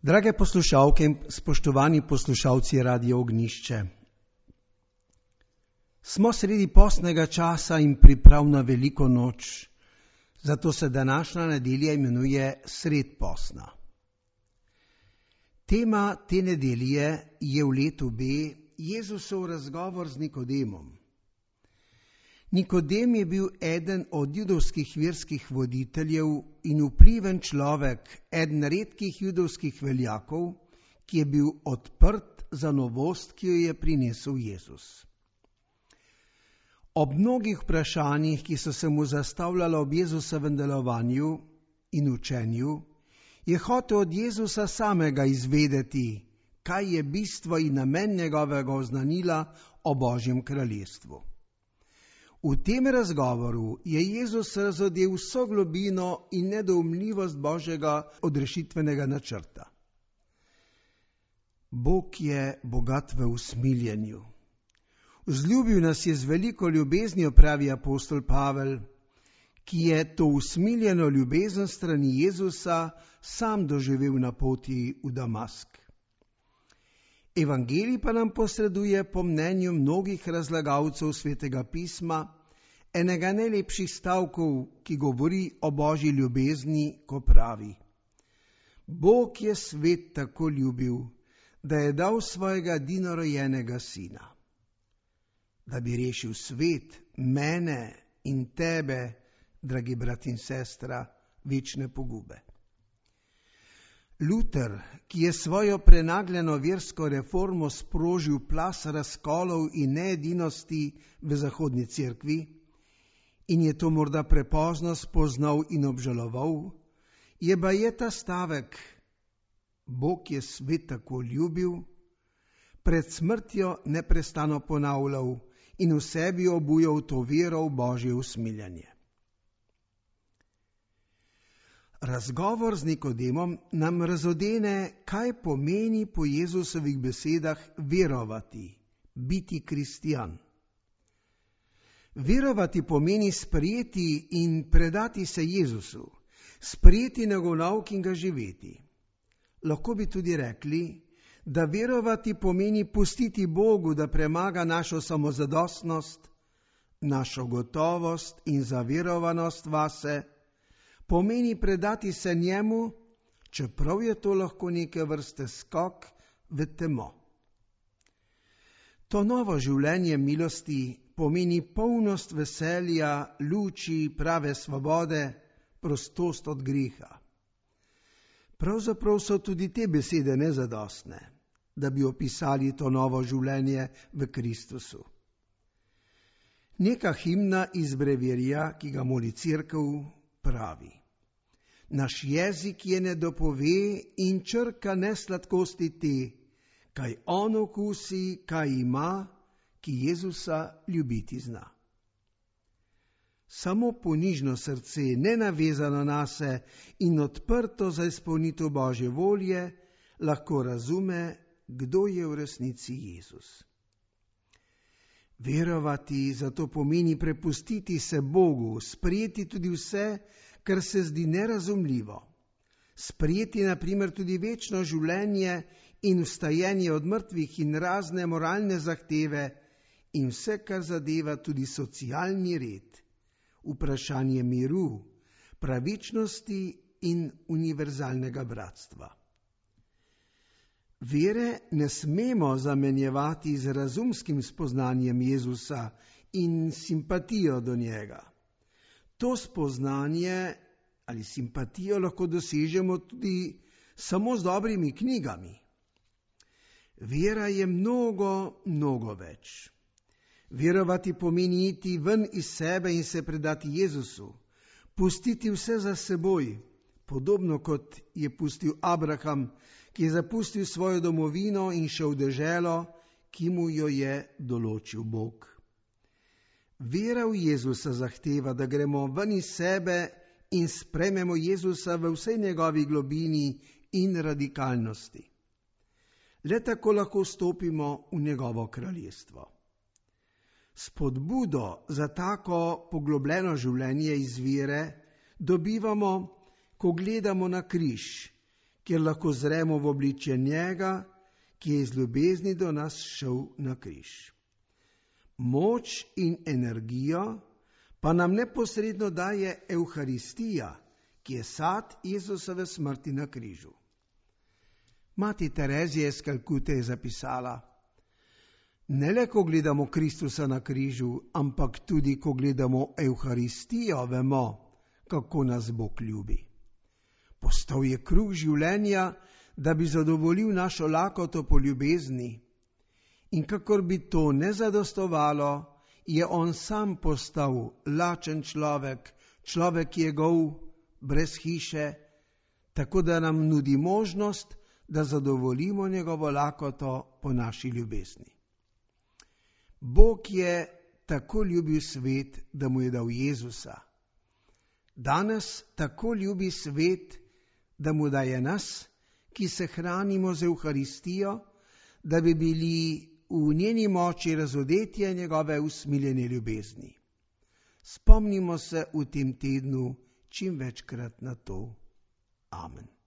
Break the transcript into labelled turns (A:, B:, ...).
A: Drage poslušalke in spoštovani poslušalci Radia Ognjišče, smo sredi postnega časa in priprav na veliko noč, zato se današnja nedelja imenuje sred postna. Tema te nedelje je v letu B Jezusov razgovor z Nikodemom. Nikodem je bil eden od judovskih verskih voditeljev in vpliven človek, eden redkih judovskih veljakov, ki je bil odprt za novost, ki jo je prinesel Jezus. Ob mnogih vprašanjih, ki so se mu zastavljala ob Jezusovem delovanju in učenju, je hotel od Jezusa samega izvedeti, kaj je bistvo in namen njegovega oznanila o Božjem kraljestvu. V tem razgovoru je Jezus razodel vso globino in nedoumljivost Božjega odrešitvenega načrta. Bog je bogat v usmiljenju. Vzljubil nas je z veliko ljubeznijo, pravi apostol Pavel, ki je to usmiljeno ljubezen strani Jezusa sam doživel na poti v Damask. Evangelij pa nam posreduje po mnenju mnogih razlagalcev Svetega pisma enega najlepših stavkov, ki govori o Božji ljubezni, ko pravi: Bog je svet tako ljubil, da je dal svojega edinorojenega sina, da bi rešil svet, mene in tebe, dragi brat in sestra, večne pogube. Luter, ki je svojo prenagljeno versko reformo sprožil plaz razkolov in needinosti v zahodni cerkvi in je to morda prepozno spoznal in obžaloval, je baje ta stavek: Bog je svet tako ljubil, pred smrtjo neprestano ponavljal in v sebi obujal to vero v Božje usmiljanje. Razgovor z Nikodemom nam razodene, kaj pomeni po Jezusovih besedah verovati, biti kristjan. Verovati pomeni sprejeti in predati se Jezusu, sprejeti njegov nauk in ga živeti. Lahko bi tudi rekli, da verovati pomeni pustiti Bogu, da premaga našo samozadostnost, našo gotovost in zaverovanost vase, pomeni predati se njemu, čeprav je to lahko neke vrste skok v temo. To novo življenje milosti pomeni polnost veselja, luči, prave svobode, prostost od greha. Pravzaprav so tudi te besede nezadostne, da bi opisali to novo življenje v Kristusu. Neka himna iz brevirja, ki ga moli cerkev, pravi: Naš jezik je ne dopove in črka ne sladkosti te, kaj on okusi, kaj ima, ki Jezusa ljubiti zna. Samo ponižno srce, nenavezano nase in odprto za izpolnitev Božje volje, lahko razume, kdo je v resnici Jezus. Verovati zato pomeni prepustiti se Bogu, sprejeti tudi vse, kar se zdi nerazumljivo. Sprejeti na primer tudi večno življenje in vstajenje od mrtvih in razne moralne zahteve in vse, kar zadeva tudi socialni red, vprašanje miru, pravičnosti in univerzalnega bratstva. Vere ne smemo zamenjevati z razumskim spoznanjem Jezusa in simpatijo do njega. To spoznanje ali simpatijo lahko dosežemo tudi samo z dobrimi knjigami. Vera je mnogo več. Verovati pomeni iti ven iz sebe in se predati Jezusu, pustiti vse za seboj, podobno kot je pustil Abraham, ki je zapustil svojo domovino in šel v deželo, ki mu jo je določil Bog. Vera v Jezusa zahteva, da gremo ven iz sebe in sprejmemo Jezusa v vsej njegovi globini in radikalnosti. Le tako lahko vstopimo v njegovo kraljestvo. Spodbudo za tako poglobljeno življenje iz vere dobivamo, ko gledamo na križ, kjer lahko zremo v obličje njega, ki je iz ljubezni do nas šel na križ. Moč in energijo pa nam neposredno daje Evharistija, ki je sad Jezusove smrti na križu. Mati Terezija iz Kalkute je zapisala: ne le, ko gledamo Kristusa na križu, ampak tudi, ko gledamo Evharistijo, vemo, kako nas Bog ljubi. Postal je kruh življenja, da bi zadovoljil našo lakoto po ljubezni. In kakor bi to ne zadostovalo, je on sam postal lačen človek, človek jegov, brez hiše, tako da nam nudi možnost, da zadovoljimo njegovo lakoto po naši ljubezni. Bog je tako ljubil svet, da mu je dal Jezusa. Danes tako ljubi svet, da mu daje nas, ki se hranimo z Evharistijo, da bi bili v njeni moči razodetja njegove usmiljene ljubezni. Spomnimo se v tem tednu čim večkrat na to. Amen.